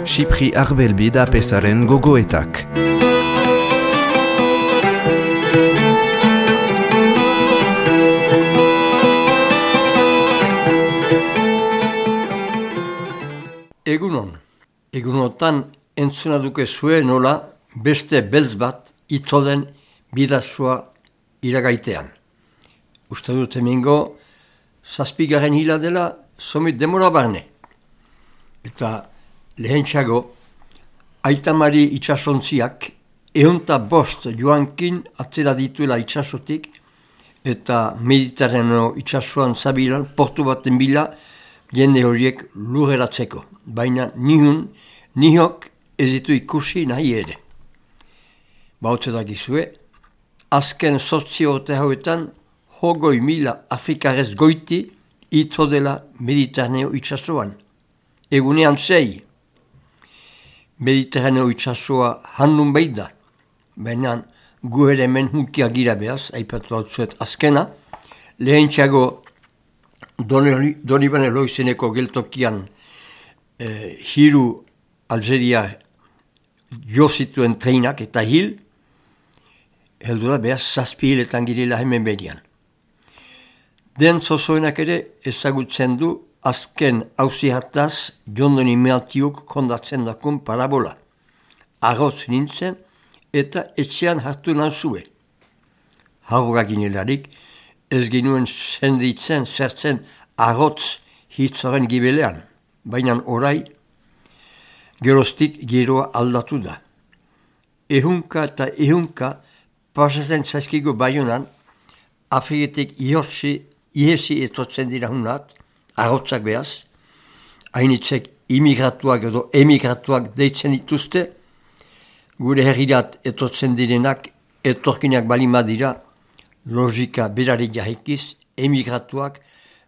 Xipri Arbelbi da pesaren gogoetak. Egunotan entzuna duke zuen nola beste beltz bat itzoden bidazua iragaitean. Uste dut hemengo 7. hila dela somit demora barne. Eta lehentxago Aitamari itxasontziak 105 joankin atzera dituela itxasotik eta Mediterraneo itxasuan zabilan portu baten bila jende horiek lurreratzeko. Baina nihok ez ditu ikusi nahi ere. Bautze dakizue, azken 8 urte hauetan 20.000 Afrikarez goiti itzo dela Mediterraneo itxasuan. Egunean 6. Mediterraneo itxasua handun behit da. Baina gu ere hemen hunkia gira behaz, aipatu batzuet azkena, lehentxago Donibane Loizeneko geltokian hiru Algeria jo zituen treinak eta heldu da behaz 7 hiletan girela hemen berian. Den zozoenak ere ezagutzen du azken hauzihataz Jondoni Meatiuk kondatzen dakun parabola. Arroz nintzen eta etxean hartu nauzue. Haurra ginelarik ez ginuen senditzen zertzen arrotz hitzoren gibelean. Baina orai geroztik giroa aldatu da. Ehunka eta ehunka pasatzen zaizkigu Baionan, Afriketik ihesi etotzen dira hunat, arrotzak behaz, hainitzek imigratuak edo emigratuak deitzen dituzte, gure herrirat etotzen direnak etorkinak balima dira, logika berari jahikiz, emigratuak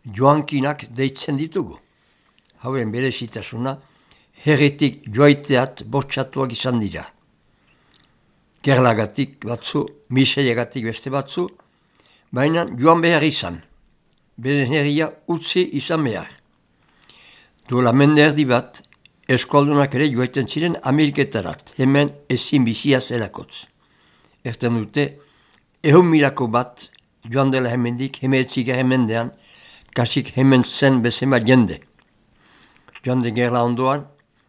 joankinak deitzen ditugu. Hauen berezitasuna, herritik joaiteat bortxatuak izan dira. Gerlagatik batzu, miseriagatik beste batzu, baina joan behar izan. Beren herria utzi izan behar. Duela mende erdi bat, eskualdunak ere joaiten ziren Ameriketarat, hemen ezin bizia zelakotz. Erten dute, 100.000 bat joan dela hemendik, hemetzik hemendean, kasik hemen zen bezema jende. Joan de gerla ondoan,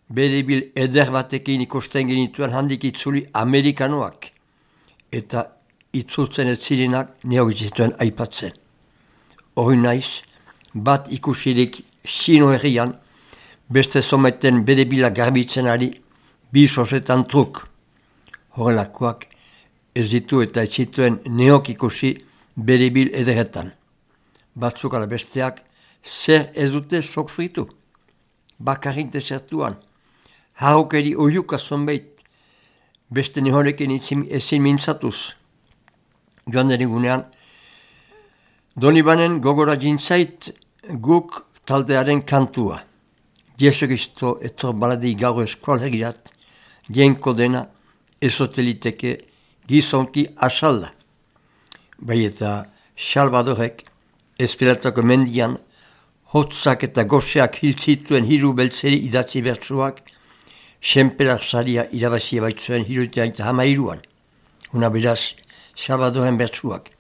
berebil eder batekin ikusten genituen handik itzuli Amerikanoak. Eta itzultzen ez zirenak neok zituen aipatzen. Hori naiz, bat ikusirik Sino herrian, beste someten berebila garbitzen ari, 2 sosetan truk. Horrelakoak ez ditu eta ez zituen neok ikusi berebil ederetan. Batzuk ala besteak zer ez dute sofritu. Bakarrik desertuan, haukeri oiuka zonbait, beste nehorekin ezin mintzatuz. Joan derigunean, Donibanen gogora jintzait guk taldearen kantua. Jesu Kristo etor baladi gaur eskualhegirat, jenko dena ezoteliteke gizonki asalda. Bai eta Salvadorek Espiratako mendian hotzak eta goseak hiltzituen hiru beltzeri idatzi bertsuak, senperak saria irabazi baitzuen hirutean eta 13an. Una beraz, Salvadoren bertsuak.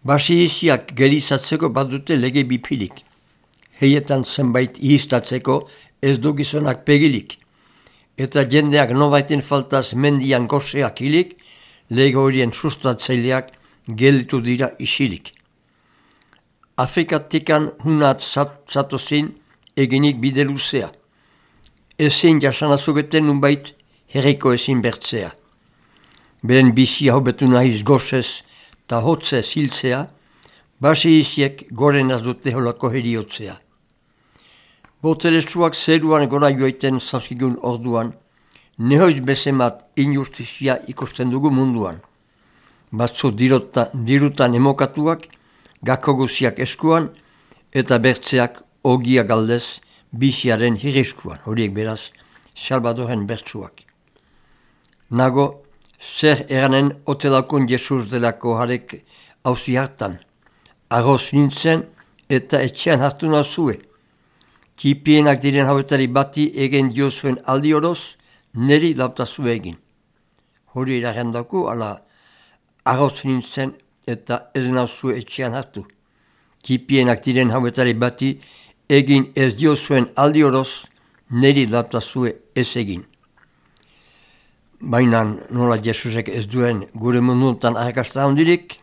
Basiziak gerizatzeko badute lege bipilik. Heietan zenbait ihistatzeko ez du gizonak pegilik. Eta jendeak nobaiten faltaz mendian goseak hilik, lege horien sustatzaileak gelditu dira isilik. Afrikatikan hunat zatozin eginik bide luzea. Ezin jasanazugeten nunbait herriko ezin bertzea. Beren bizia hobetu nahiz gozez eta hotzez hiltzea, basi iziek goren dute holako heriotzea. Boterezuak zeruan gora joiten zazkigun orduan, nehoiz bezemat injustizia ikusten dugu munduan. Batzu dirutan emokatuak, gako guziak eskuan, eta bertzeak ogia galdez biziaren hirriskuan, horiek beraz, Salvadoren bertsuak. Nago, zer eranen otelakon Jesus delako harek hauzi hartan, arroz nintzen eta etxean hartu nazue. Kipienak diren hauetari bati egin diozuen aldi oroz, neri lautazu egin. Hori iragendako, ala arroz nintzen eta ez nauzu etxean hartu. Kipienak diren hauetari bati egin ez diozuen aldi oroz, neri lautazu ez egin. Baina nola Jesusek ez duen gure mundutan arrakasta handirik,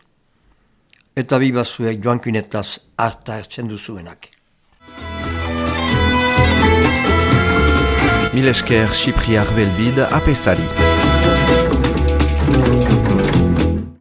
eta bibazuek joankinetaz harta hartzen duzuenak. Mil esker Sipriar Belbid apesari.